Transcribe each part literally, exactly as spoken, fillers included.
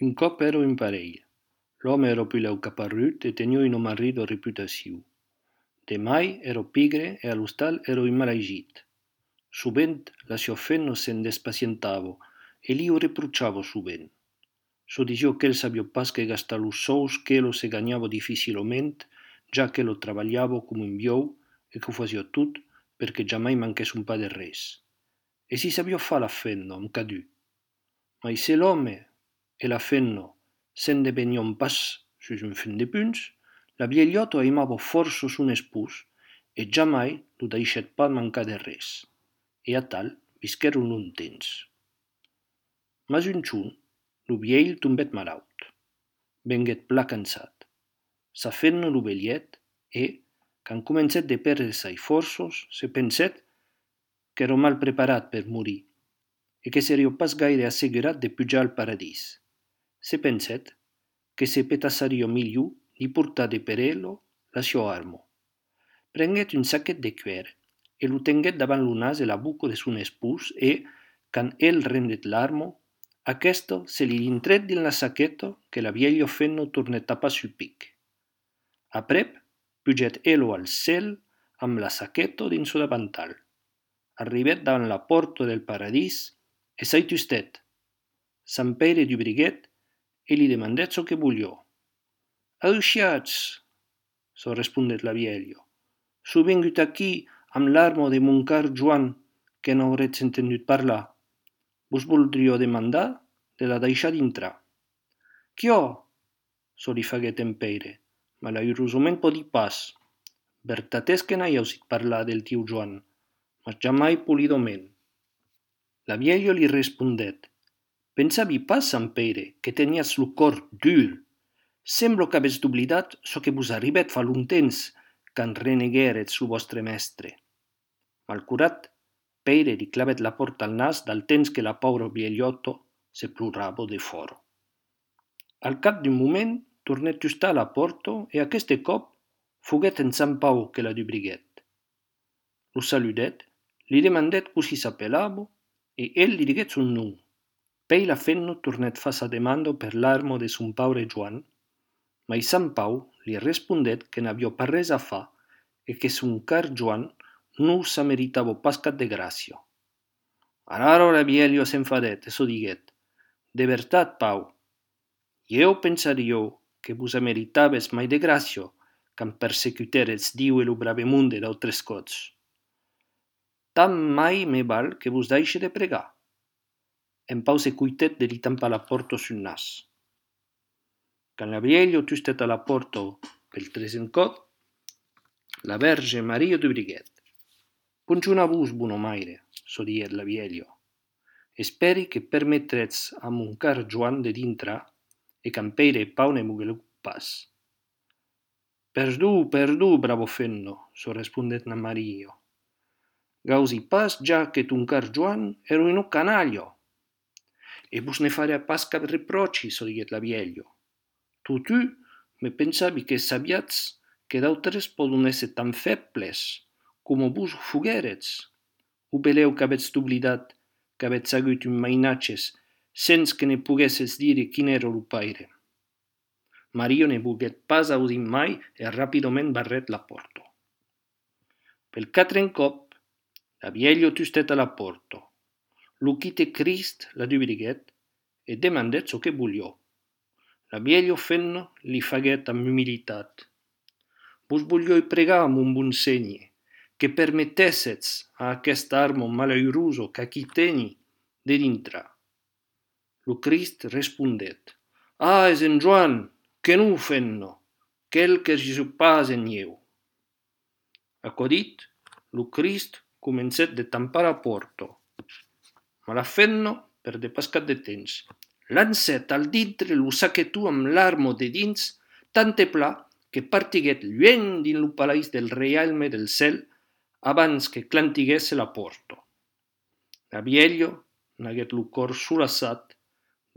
Un còp ero in parelh. L'òme ero pileu caparrut e teniu un marrido reputaciu. Demai ero pigre e a l'ostal ero immalaigit. Subent la sio fenno se'n despacientavo e li o reprucciavo subent. So dixiò qu'el sabio pas que gastar los sous qu'elo se gagnavo difficiloment, già che lo travagliavo come un biou e che fasio tot perché giamai manchés un pa de res. E si sabio fa la fenno am cadù. Ma se l'òme e la fenno se'n depenion pas sus un fin de punts, la vieillotto aimavo forço son espòs e giamai lo deixèt pas mancar de res. E a tal visquèron long temps. Mas un cion, lo vielh tombèt malaut. Venguèt plan cansat. Sa fenno lo velièt e, quand comencèt de pèrder sas fòrços, se pensèt qu'èro mal preparat per morir e que serio pas gaire assegurat de pujar al paradís. Se pensèt que se petassario milhor de portar de per elo la sio armo. Prenguèt un saquet de cuèr e lo tenguèt davant lo nas e la boca de son espòs e, quand el rendèt l'armo, aquesto se li intrèt din la saqueta que la vielha fenno tornèt tapar sul pic. Aprèp, pugèt elo al cèl amb la saqueta dins so davantal. Arribèt davant la pòrta del paradís e s'ai tustèt. Sant Peire d'ubriguèt e li demandèt çò que volió. «Ausciatz», so respondèt la vielha, «so vengut aquí amb l'armo de mon car Joan, que n'auretz entendut parlar. Vos voldríeu demandar de la deixar dintrar». «Quio?» so li faguèt en Peire, malaurosament podi pas. Vertat és que n'ai ausit parlar del tiu Joan, mas jamai polidoment. La vielha li respondèt: «Pensavi pas, Sant Peire, que teniatz lo còr dur. Semblo qu'avètz oblidat çò que vos arribèt fa long temps, quand reneguèretz lo vòstre mestre». Malcurat, Peire li clavèt la pòrta al nas dal temps que la paura vielhòto se plorava de fòra. Al cap d'un moment tornèt tustar a la pòrta e aqueste còp foguèt en Sant Pau que la dubriguèt. Lo saludèt, li demandèt cossi s'apelava e el li diguèt son nom. Pei la fenno tornèt far sa demanda per l'armo de son paure Joan, ma Sant Pau li respondèt que n'aviò pas res a far e que son car Joan non s'ameritava pas cap de gràcia. Alaro la vielha s'enfadèt e so diguèt: «De vertat, Pau, eu pensario que vos ameritaves mai de gràcia quand persecutèretz Diu e lo bravemunde d'autres cots. Tant mai me val que vos deixe de pregar». En Pau se cuitèt de li tampar la pòrta sul nas. Quand la vielha tustèt a la pòrta pel tresen còp, la Verge Maria dubriguèt. «Ponchon a vos, bonomaire», so diguèt la vielha. «Esperi que permetretz a mon car Joan de dintrar e quand Peire e Pau ne moguelèu pas». «Perdó, perdó, bravo fenno», so respondèt na Maria. «Gausi pas ja que ton car Joan ero un canaglia». «E vos ne faria pas cap reprochi», so diguèt la vielha. «Totu me pensavi que sabiatz que d'autres podon èsser tan febles, como vos foguèretz. O belèu qu'avètz oblidat qu'avètz agut un mainatges sens que ne poguéssetz dire quin ère lo paire». Maria ne volguèt pas audir mai e rapidoment barrèt la pòrta. Pel catren còp, la vielha tustèt a la pòrta. Lo quite Crist la dubriguèt e demandèt çò que volió. La vielha fenno li faguèt amb humilitat: «Vos voliò pregar, mon bon Seigne, que permettéssetz a aquest armo malauroso qu'aquí teni de dintrar». Lo Crist respondèt: «Ah, es en Joan, que non fenno, quel que je pas en ieu». Aquò dit, lo Crist comencèt de tampar la pòrta, ma la fenno perdé pas cap de temps. Lancèt al dintre lo saquetó amb l'armo de dins tant e pla que partiguèt lueng din lo palaís del reialme del cèl abans que clantiguèsse la pòrta. La vielha n'aguèt lo còr solaçat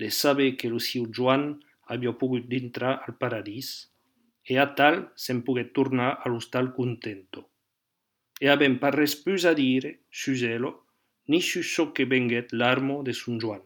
de saber que lo siu Joan aviá pogut dintrar al paradís e a tal se'n poguèt tornar a l'ostal contento. E avem pas res pus a dire sus elo ni sus çò que venguèt l'armo de son Joan.